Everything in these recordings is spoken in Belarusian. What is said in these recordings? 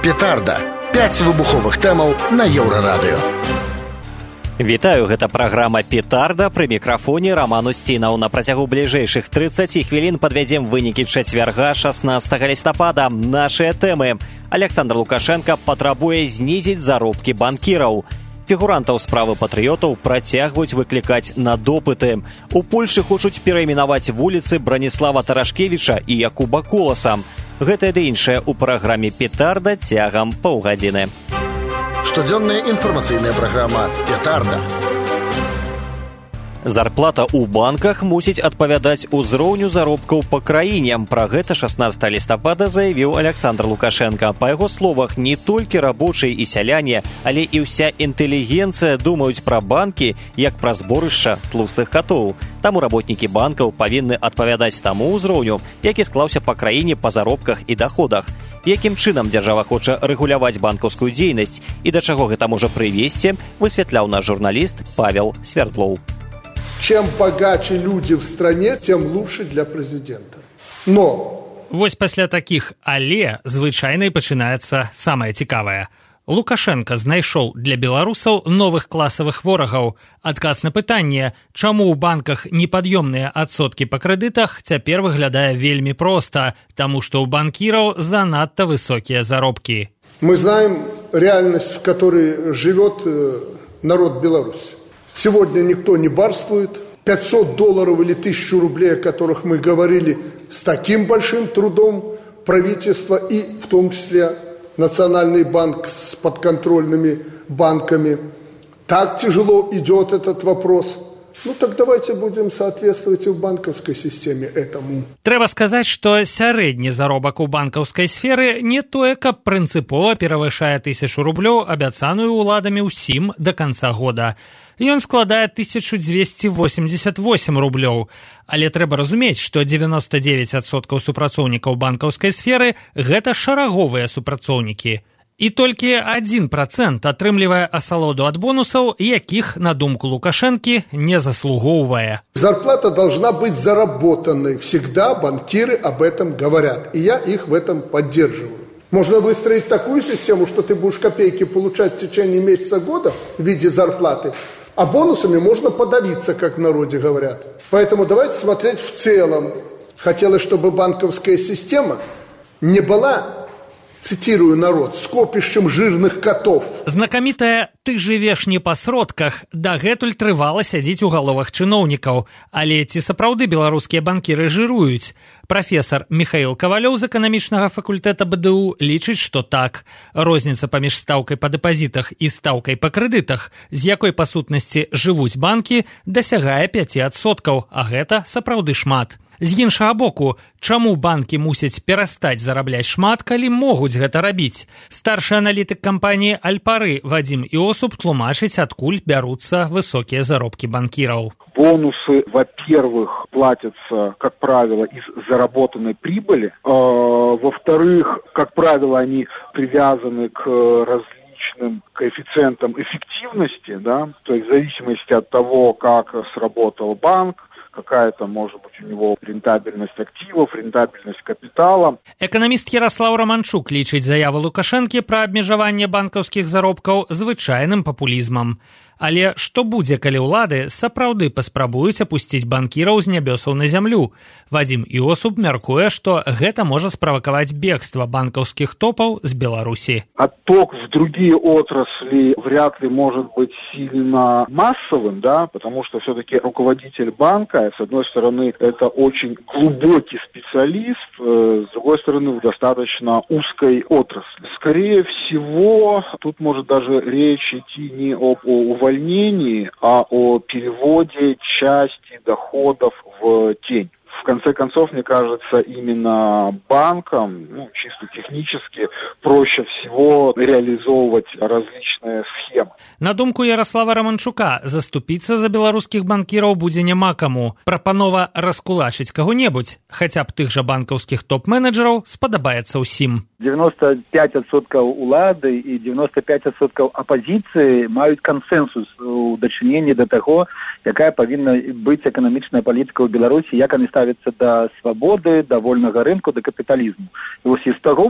Петарда. 5 выбуховых тэмаў на Еўрарадыё. Вітаю, гэта праграма «Петарда», пры мікрафоне Роман Устінаў. На працягу бліжэйшых 30 хвілін падвядзем вынікі чацвярга 16 лістапада. Нашыя тэмы. Александр Лукашенко патрабуе знізіць заробкі банкіраў. Фігурантаў справы патрыётаў працягваюць выклікаць на допыты. У Польшы хочуць перайменаваць вуліцы Браніслава Тарашкевіча і Якуба Коласа. Гэтае ды іншае ў праграме «Петарда» цягам паўгадзіны. Штодзённая інфармацыйная праграма «Петарда». Зарплата ў банках мусіць адпавядаць узроўню заробкаў па краіне. Пра гэта 16 лістапада заявіў Александр Лукашенко. Па яго словах, не толькі рабочыя і сяляне, але і ўся інтэлігенцыя думаюць пра банкі як пра зборышча тлустых катоў. Таму работнікі банкаў павінны адпавядаць таму ўзроўню, які склаўся па краіне па заробках і даходах. Якім чынам дзяржава хоча рэгуляваць банкаўскую дзейнасць і да чаго гэта можа прывесці, высвятляў наш журналіст Павел Свердлоў. Чем богаче люди в стране, тем лучше для президента. Но... Вось пасля такіх «але» звычайна і пачынаецца самае цікавае. Лукашенко знайшоў для беларусаў новых класавых ворагаў. Адказ на пытанне, чаму ў банках непад'ёмныя адсоткі па крэдытах, цяпер выглядае вельмі проста, таму што ў банкіраў занадта высокія заробкі. Мы знаем реальность, в которой живет народ Беларуси. Сегодня никто не барствует. $500 или 1000 рублей, о которых мы говорили, с таким большим трудом правительства и в том числе Национальный банк с подконтрольными банками. Так тяжело идет этот вопрос. Ну так давайте будем соответствовать и в банковской системе этому. Трэба сказаць, што сярэдні заробак у банкаўскай сферы не тое, каб прынцыпова перавышае 1000 рублёў, абяцаную ўладамі ўсім да канца года. Ён складае 1288 рублёў. Але трэба разумець, што 99% супрацоўнікаў банкаўскай сферы – гэта шараговыя супрацоўнікі. І толькі 1% атрымлівае асалоду ад бонусаў, якіх, на думку Лукашэнкі, не заслугоўвае. Зарплата должна быть заработанной. Всегда банкиры об этом говорят. И я их в этом поддерживаю. Можно выстроить такую систему, что ты будешь копейки получать в течение месяца года в виде зарплаты, а бонусами можно подавиться, как в народе говорят. Поэтому давайте смотреть в целом. Хотелось, чтобы банковская система не была, цитирую народ, скопішчам жирных котов. Знакамітае «ты жывеш не па сродках» дагэтуль трывала сядзіць у галовах чыноўнікаў. Але ці сапраўды беларускія банкіры жыруюць? Прафесар Михаил Кавалёў з эканамічнага факультэта БДУ лічыць, што так. Розніца паміж стаўкай па дэпазітах і стаўкай па крэдытах, з якой па сутнасці жывуць банкі, дасягае 5%, а гэта сапраўды шмат. З іншага боку, чаму банкі мусяць перастаць зарабляць шмат, калі могуць гэта рабіць? Старшы аналітык кампаніі «Альпары» Вадим Иосуб тлумачыць, адкуль бяруцца высокія заробкі банкіраў. Бонусы, во-первых, платятся, как правило, из заработанной прибыли. Во-вторых, как правило, они привязаны к различным коэффициентам эффективности, да, то есть в зависимости от того, как сработал банк, какая-то, может быть, у него рентабельность активов, рентабельность капитала. Эканаміст Ярослав Романчук лічыць заяву Лукашэнкі пра абмежаванне банкаўскіх заробкаў звычайным папулізмам. Але што будзе, калі ўлады сапраўды паспрабуюць апусціць банкіраў з нябёсаў на зямлю? Вадим Иосуб мяркуе, што гэта можа справакаваць бегства банкаўскіх топаў з Беларусі. Отток в другие отрасли вряд ли может быть сильно массовым, да, потому что все-таки руководитель банка, с одной стороны, это очень глубокий специалист, с другой стороны, в достаточно узкой отрасли. Скорее всего, тут может даже речь идти не об увольнении, а о переводе части доходов в тень. В конце концов, мне кажется, именно банкам, чисто технически, проще всего реализовывать различные схемы. На думку Ярослава Романчука, заступіцца за беларускіх банкіраў будзе няма каму. Прапанова раскулачыць каго-небудзь, хаця б тых жа банкаўскіх топ-менеджераў, спадабаецца ўсім. 95% улады і 95% апазіцыі маюць кансенсус у дачыненні да таго, якая павінна быць эканамічная палітыка ў Беларусі, як ставіцца да свабоды, да вольнага рынку, да капіталізму. І вось і з таго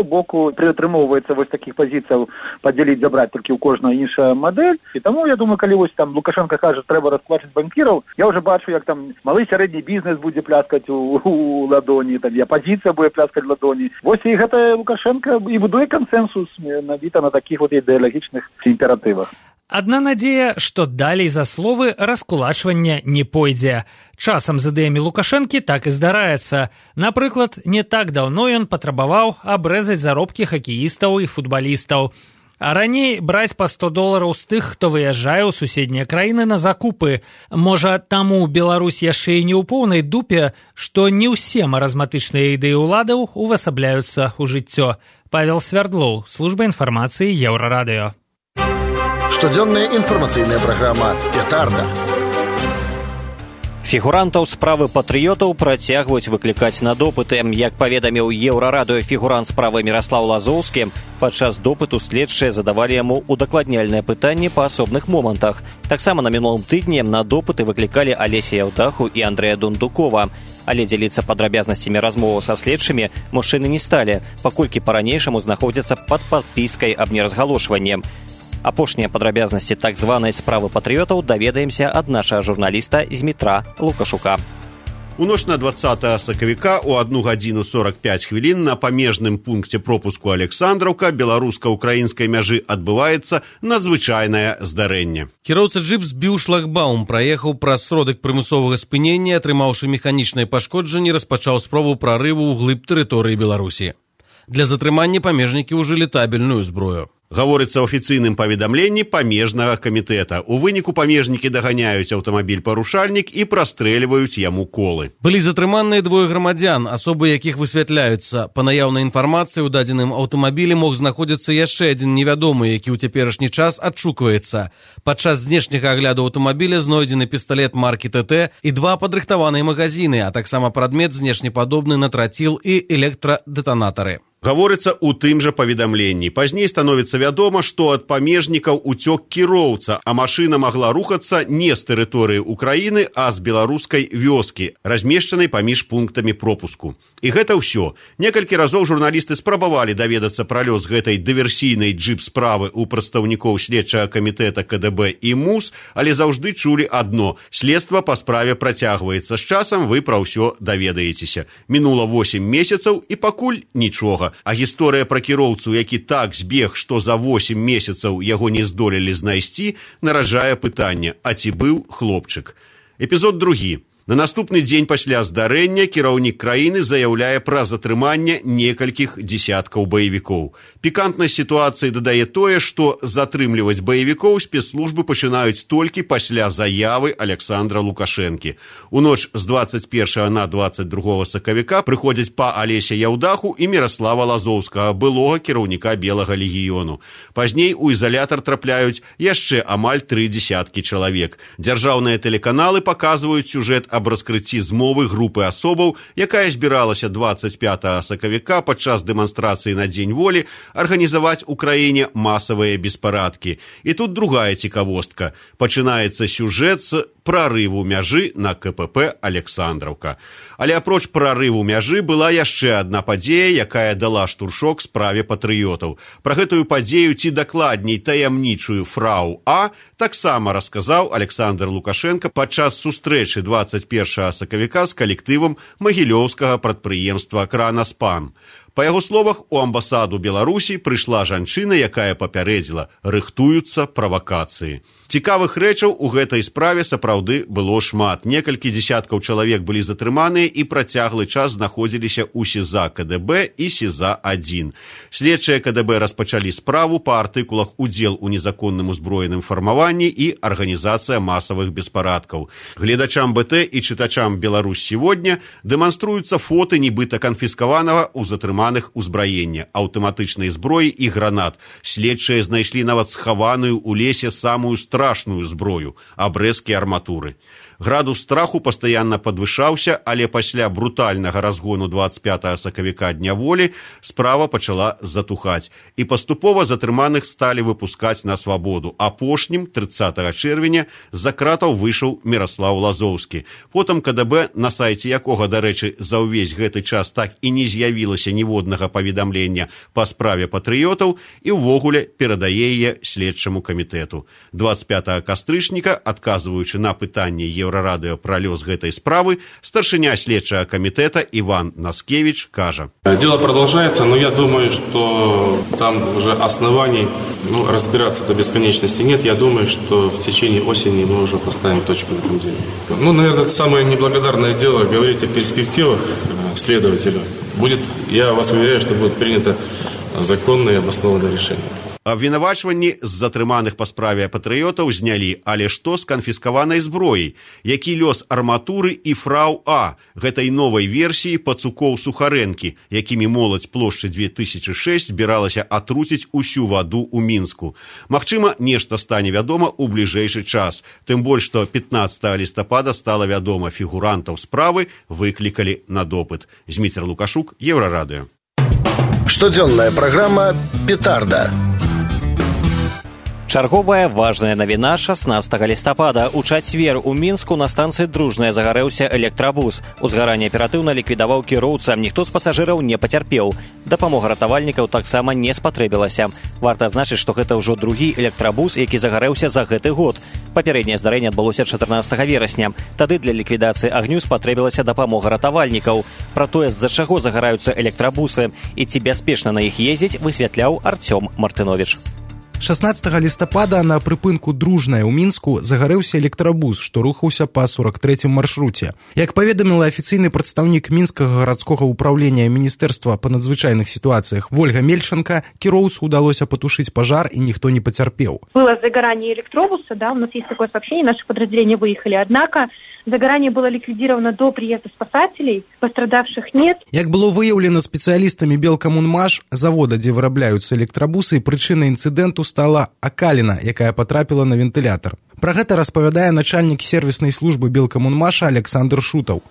боку што прытрымоўваецца вось такіх пазіцыяў падзяліць, забраць толькі ў кожную іншая мадэль. І таму, я думаю, калі вось там Лукашенко кажа, трэба расквачыць банкіраў, я ўжо бачу, як там малы сярэдні бізнес будзе пляскаць у ладоні, там і апазіцыя будзе пляскаць у ладоні. Вось і гэта Лукашенко і будуе кансенсус набіта на такіх вот ідэалагічных імператывах. Адна надзея, што далей за словы раскулачвання не пойдзе. Часам з ідэямі Лукашэнкі так і здараецца. Напрыклад, не так даўно ён патрабаваў абрэзаць заробкі хакеістаў і футбалістаў. А раней браць па $100 з тых, хто выязджае ў суседнія краіны на закупы. Можа, таму Беларусь яшчэ і не ў поўнай дупе, што не ўсе маразматычныя ідэі ўладаў увасабляюцца ў жыццё. Павел Свярдлоў, служба інфармацыі Еўрарадыё. Штодзённая інфармацыйная праграма «Петарда». Фігурантаў справы патрыётаў працягваюць выклікаць на допыты. Як паведаміў Еўрарадыё фігурант справы Міраслаў Лазоўскі, падчас допыту следчыя задавалі яму удакладняльныя пытанні па асобных момантах. Таксама на мінулым тыдні на допыты выклікалі Алеся Яўдаху і Андрэя Дундукова. Але дзяліцца падрабязнасцямі размоваў са следчымі мужчыны не сталі, паколькі па-ранейшаму знаходзяцца пад падпіскай аб неразгалошванні. Апошнія падрабязнасці так званай справы патрыётаў даведаемся ад нашага журналіста Змітра Лукашука. У ноч на 20 сакавіка у 1 гадзіну 45 хвілін на памежным пункце пропуску Александраўка беларуска-украінскай мяжы адбываецца надзвычайнае здарэнне. Кіроўца джип збіў шлагбаум, праехаў праз сродак прымусовага спынення, атрымаўшы механічнае пашкоджанне, распачаў спробу прарыву ў глыб тэрыторыі Беларусі. Для затрымання памежнікі ўжылі табельную зброю. Гаворыцца ў афіцыйным паведамленні памежнага камітэта. У выніку памежнікі даганяюць аўтамабіль-парушальнік і прастрэльваюць яму колы. Былі затрыманыя двое грамадзян, асобы якіх высвятляюцца. Па наяўнай інфармацыі ў дадзеным аўтамабілі мог знаходзіцца яшчэ адзін невядомы, які ў цяперашні час адшукваецца. Падчас знешняга агляду аўтамабіля знойдзены пісталет маркі ТТ і 2 падрыхтаваныя магазіны, а таксама прадмет знешнепадобны на траціл і электрадэтанатары. Гаворыцца ў тым жа паведамленні. Пазней становіцца вядома, што ад памежнікаў уцёк кіроўца, а машына магла рухацца не з тэрыторыі Украіны, а з беларускай вёскі, размешчанай паміж пунктамі пропуску. І гэта ўсё. Некалькі разоў журналісты спрабавалі даведацца пра лёс гэтай дыверсійнай джип-справы ў прадстаўнікоў следчага камітэта КДБ і МУС, але заўжды чулі адно – следства па справе працягваецца. З часам вы пра ўсё даведаецеся. Мінула 8 месяцаў і пакуль нічога. А гісторыя пра кіроўцу, які так збег, што за 8 месяцаў яго не здолелі знайсці, наражае пытанне, а ці быў хлопчык. Эпізод 2. На наступны дзень пасля здарэння кіраўнік краіны заяўляе пра затрыманне некалькіх дзесяткаў баевікоў. Пікантнасць сітуацыі дадае тое, што затрымліваць баевікоў спецслужбы пачынаюць толькі пасля заявы Александра Лукашэнкі. У ноч з 21 на 22 сакавіка прыходзяць па Алеся Яўдаху і Міраслава Лазоўскага, былога кіраўніка Белага легіёну. Пазней у изолятор трапляюць яшчэ амаль 3 десяткі чалавек. Дзяржаўныя тэлеканалы паказваюць сюжэт аб раскрыцці змовы групы асобаў, якая збіралася 25 сакавіка падчас дэманстрацыі на Дзень волі арганізаваць у краіне масавыя беспарадкі. І тут другая цікавостка. Пачынаецца сюжэт з прарыву мяжы на КПП Александраўка. Але апроч прарыву мяжы была яшчэ адна падзея, якая дала штуршок справе патрыётаў. Пра гэтую падзею, ці дакладней таямнічую фрау А, таксама расказаў Александр Лукашенко падчас сустрэчы 21 сакавіка з калектывам магілёўскага прадпрыемства «Кранаспан». Па яго словах, у амбасаду Беларусі прыйшла жанчына, якая папярэдзіла, рыхтуюцца правакацыі. Цікавых рэчаў у гэтай справе сапраўды было шмат. Некалькі дзесяткаў чалавек былі затрыманыя і працяглы час знаходзіліся ў СІЗА КДБ і СІЗА-1. Следчыя КДБ распачалі справу па артыкулах «Удзел у незаконным узброеным фармаванні» і «Арганізацыя масавых беспарадкаў». Гледачам БТ і чытачам «Беларусь сегодня» дэманструюцца фоты нібыта канфіскаванага ў затрыманых узбраення, аўтаматычнай зброі і гранат. Следчыя знайшлі нават схаваную ў лесе самую страшную зброю – абрэзкі арматуры. Градус страху пастаянна падвышаўся, але пасля брутальнага разгону 25 сакавіка дняволі справа пачала затухаць. І паступова затрыманых сталі выпускаць на свабоду. Апошнім, 30 чэрвеня, з-за кратаў выйшаў Міраслаў Лазоўскі. Потым КДБ, на сайце якога, дарэчы, за ўвесь гэты час так і не з'явілася ніводнага паведамлення па справе патрыётаў, і ўвогуле перадае яе следчаму камітэту. 25 кастрычніка, адказваючы на пытанне Еўрарадыё пра лёс гэтай справы, старшыня следчага камітэта Иван Наскевич кажа: Дело продолжается, но я думаю, что там уже оснований разбираться до бесконечности нет. Я думаю, что в течение осени мы уже поставим точку в этом деле. Наверное, это самое неблагодарное дело говорить о перспективах следователя. Я вас уверяю, что будет принято законное и обоснованное решение. Абвінавачванні з затрыманых па справе патрыётаў знялі, але што з канфіскаванай зброяй? Які лёс арматуры і фрау А, гэтай новай версіі пацукоў Сухарэнкі, якімі моладзь плошчы 2006 збіралася атруціць усю ваду ў Мінску? Магчыма, нешта стане вядома ў бліжэйшы час. Тым больш, што 15 лістапада стала вядома, фігурантаў справы выклікалі на допыт. Зміцер Лукашук, Еўрарадыё. Штодзённая праграма «Петарда». Чарговая важная навіна 16 лістапада. У чацвер у Мінску на станцыі Дружная загарэўся электрабус. Узгаранне аператыўна ліквідаваў кіроўца, ніхто з пасажыраў не пацярпеў. Дапамога ратавальнікаў таксама не спатрэбілася. Варта адзначыць, што гэта ўжо другі электрабус, які загарэўся за гэты год. Папярэдняе здарэнне адбылося 14 верасня. Тады для ліквідацыі агню спатрэбілася дапамога ратавальнікаў. Пра тое, з-за чаго загараюцца электрабусы і ці бяспечна на іх ездзіць, высвятляў Артём Мартынович. 16 лістапада на прыпынку Дружная ў Мінску загарэўся электрабус, што рухаўся па 43-м маршруце. Як паведаміла афіцыйны прадстаўнік Мінскага гарадскога ўпраўлення Міністэрства па надзвычайных сітуацыях Вольга Мельченко, кіроўцу удалося патушыць пажар і ніхто не пацярпеў. Было загорание электробуса, у нас есть такое сообщение, наши подразделения выехали, однако загорание было ликвидировано до приезда спасателей, пострадавших нет. Як было выяўлена спецыялістамі Белкамунмаш, завода, дзе вырабляюцца электрабусы, прычынай інцыдэнту стала акаліна, якая потрапіла на вентылятор. Про гэта распавядае начальник сервисной службы Белкоммунмаша Александр Шутов.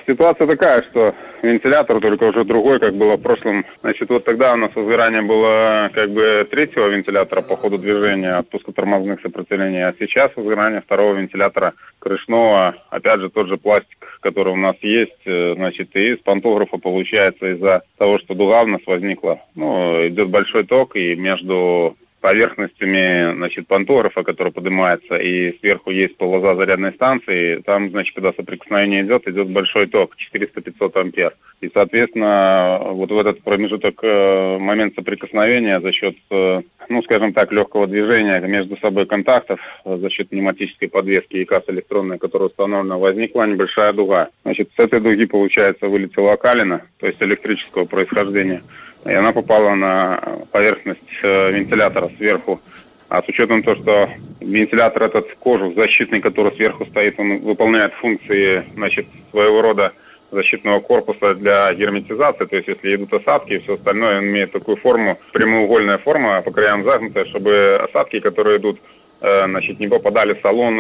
Ситуация такая, что вентилятор только уже другой, как было в прошлом. Вот тогда у нас возгорание было третьего вентилятора по ходу движения, отпуска тормозных сопротивлений, а сейчас возгорание второго вентилятора крышного. Опять же, тот же пластик, который у нас есть, и из пантографа получается из-за того, что дуга у нас возникла. Идет большой ток, и между поверхностями, пантографа, который поднимается, и сверху есть полоза зарядной станции, там, когда соприкосновение идет большой ток, 400-500 ампер. И, соответственно, вот в этот промежуток, момент соприкосновения за счет, легкого движения между собой контактов, за счет пневматической подвески и касса электронная, которая установлена, возникла небольшая дуга. С этой дуги, получается, вылетела окалина, то есть электрического происхождения. И она попала на поверхность вентилятора сверху. А с учетом того, что вентилятор этот кожух защитный, который сверху стоит, он выполняет функции, своего рода защитного корпуса для герметизации. То есть, если идут осадки и все остальное, он имеет такую форму, прямоугольная форма, по краям загнутая, чтобы осадки, которые идут, не попадали в салон,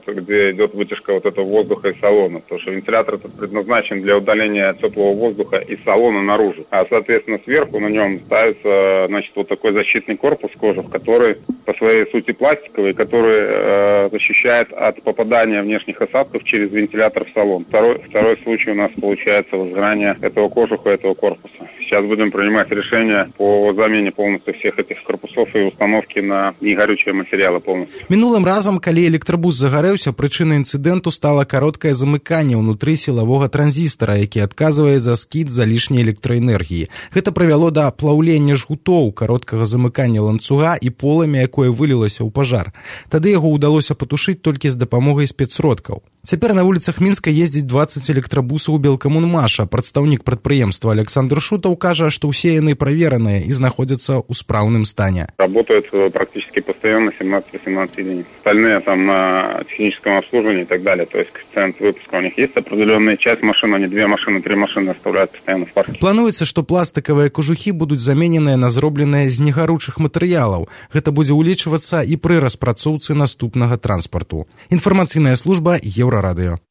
где идет вытяжка этого воздуха из салона. Потому что вентилятор этот предназначен для удаления теплого воздуха из салона наружу. А, соответственно, сверху на нем ставится, такой защитный корпус кожух, который по своей сути пластиковый, который защищает от попадания внешних осадков через вентилятор в салон. Второй случай у нас получается возгорание этого кожуха, этого корпуса. Сейчас будем принимать решение по замене полностью всех этих корпусов и установки на негорючие материалы полностью. Мінулым разам, калі электрабус загарэўся, прычынай інцыдэнту стала кароткае замыканне ўнутры сілавога транзістара, які адказвае за скід залішняй электраэнергіі. Гэта прывяло да плаўлення жгутоў, кароткага замыкання ланцуга і полымя, якое вылілася ў пажар. Тады яго ўдалося патушыць толькі з дапамогай спецсродкаў. Цяпер на вуліцах Мінска ездзіць 20 электрабусаў Белкамунмаша. Прадстаўнік прадпрыемства Александр Шутов кажа, што ўсе яны правераныя і знаходзяцца ў спраўным стане. Работают практически постоянно 17-18 единиц. Остальные там на техническом обслуживании и так далее. То есть коэффициент выпуска у них есть определенная часть машин, они 2 машины, 3 машины оставляют постоянно в парке. Плануецца, што пластикавыя кожухі будуць замененыя на зробленыя з негаручых матэрыялаў. Гэта будзе ўлічвацца і пры распрацоўцы наступнага транспарту. Інфармацыйная служба Еўрарадыё.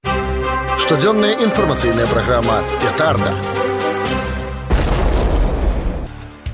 Штодзённая інфармацыйная праграма «Петарда».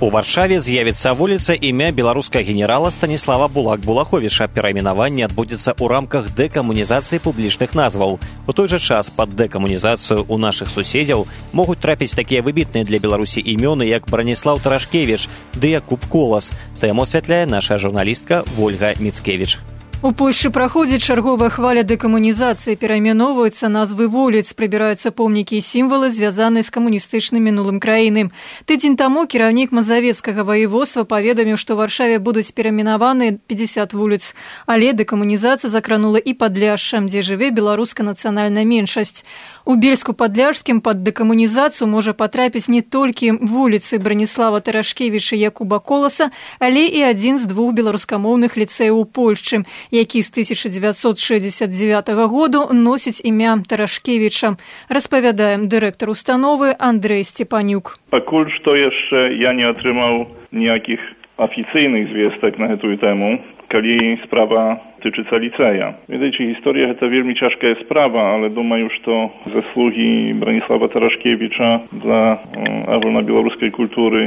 У Варшаве з'явіцца вуліца імя беларускага генерала Станіслава Булак-Булаховіча. Перайменаванне адбудзецца ў рамках дэкамунізацыі публічных назваў. У той жа час пад дэкамунізацыю ў нашых суседзяў могуць трапіць такія выбітныя для Беларусі імёны, як Браніслаў Тарашкевіч ды Якуб Колас. Тэму асвятляе наша журналістка Вольга Міцкевіч. У Польшчы праходзіць чарговая хваля дэкамунізацыі, перайменоўваюцца назвы вуліц, прыбіраюцца помнікі і сімвалы, звязаныя з камуністычным мінулым краіны. Тыдзень таму кіраўнік Мазавецкага ваеводства паведаміў, што ў Варшаве будуць перайменаваны 50 вуліц. Але дэкамунізацыя закранула і Падляшша, дзе жыве беларуская нацыянальная меншасць. У Бельску-Падляшскім пад дэкамунізацыю можа патрапіць не толькі вуліцы Браніслава Тарашкевіча і Якуба Коласа, але і адзін з 2 беларускамоўных ліцэяў у Польшчы, які з 1969 году носіць імя Тарашкевіча, распавядае дырэктар установы Андрэй Сцепанюк. Пакуль што яшчэ я не атрымаў ніякіх афіцыйных звестак на гэтую тэму, калі справа тычыцца ліцэя. Ведаеце, гісторыя гэта вельмі цяжкая справа, але думаю, што заслугі Браніслава Тарашкевіча для агульнабеларускай культуры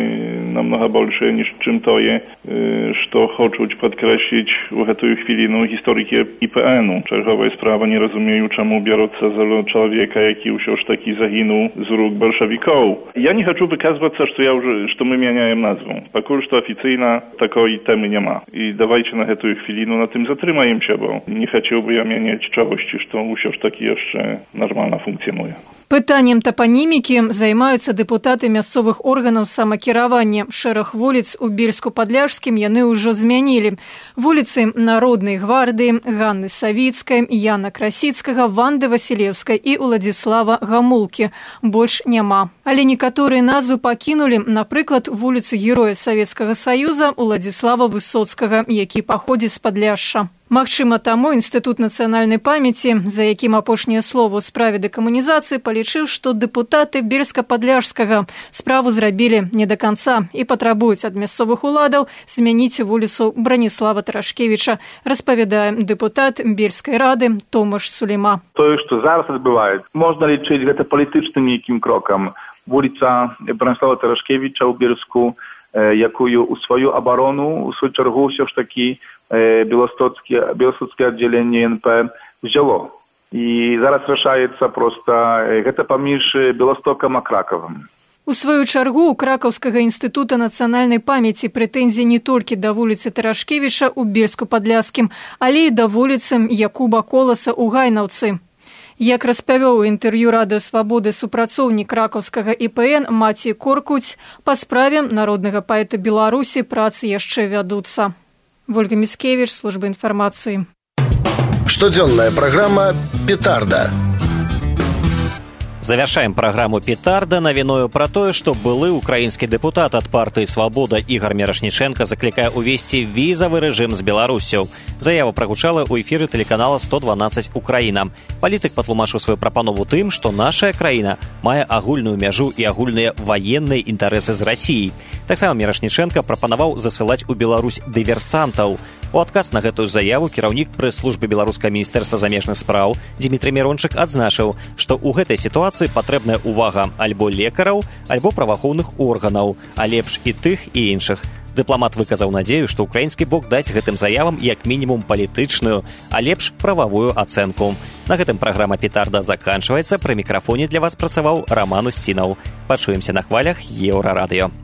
намнога большыя, ніж чым тое, што хочуць падкрэсліць у гэтую хвіліну гісторыкі ІПН-у. Чарговая справа, не разумею, чаму бяруцца за чалавека, які ўсё ж такі загінуў з рук бальшавікоў. Я не хачу выказвацца, што мы мяняем назву. Пакуль што афіцыйна такой тэмы няма. І давайце на гэтую хвіліну на тым затрымаемся, бо не хацеў бы я мяняць чагосьці, што ўсё ж такі яшчэ нармальна функцыянуе. Пытаннем тапанімікі займаюцца дэпутаты мясцовых органаў самакіравання. Шэраг вуліц у Бельску-Падляшскім яны ўжо змянілі. Вуліцы Народнай гвардыі, Ганны Савіцкай, Яна Красіцкага, Ванды Васілеўскай і Уладзіслава Гамулкі. Больш няма. Але некаторыя назвы пакінулі, напрыклад, вуліцу Героя Савецкага Саюза Уладзіслава Высоцкага, які паходзіць з Падляшша. Магчыма, таму Інстытут нацыянальнай памяці, за якім апошняе слово ў справе дэкамунізацыі, палічыў, што дэпутаты Бельска-Падляшскага справу зрабілі не да канца і патрабуюць ад мясцовых уладаў змяніць вуліцу Браніслава Тарашкевіча, распавядае дэпутат Бельскай рады Томаш Сулейма. Тое, што зараз адбываецца, можна лічыць гэта палітычным нейкім крокам. Вуліца Браніслава Тарашкевіча ў Бельску, якую у сваю абарону, у сваю чаргу ўсё ж такі Беластоцкае аддзяленне НП взяло. І зараз рашаецца проста гэта паміж Беластокам а Кракавам. У сваю чаргу у Кракаўскага інстытута нацыянальнай памяці прэтэнзіі не толькі да вуліцы Тарашкевіча ў Бельску-Падляшскім, але і да вуліцы Якуба Коласа ў Гайнаўцы. Як распавёў у інтэрв'ю Радыё Свабоды супрацоўнік кракаўскага ІПН Маці Коркуць, па справе народнага паэта Беларусі працы яшчэ вядуцца. Вольга Міцкевіч, служба інфармацыі. Штодзённая праграма «Петарда». Завяршаем праграму «Петарда» навіною пра тое, што былы украінскі дэпутат ад партыі «Свабода» Ігар Мірошніченка заклікае ўвесці візавы рэжым з Беларуссю. Заява прагучала ў эфіры тэлеканала 112 «Украіна». Палітык патлумачыў сваю прапанову тым, што нашая краіна мае агульную мяжу і агульныя ваенныя інтарэсы з Расіяй. Таксама Мірошніченка прапанаваў засылаць у Беларусь дыверсантаў. У адказ на гэтую заяву кіраўнік прэс-службы беларускага міністэрства замежных спраў Дзімітрый Мірончык адзначыў, што ў гэтай сітуацыі патрэбная ўвага альбо лекараў, альбо праваахоўных органаў, а лепш і тых, і іншых. Дыпламат выказаў надзею, што ўкраінскі бок дасць гэтым заявам як мінімум палітычную, а лепш прававую ацэнку. На гэтым праграма «Петарда» заканчваецца. Пры мікрафоне для вас працаваў Раман Усцінаў. Пачуемся на хвалях Еўрарадыё.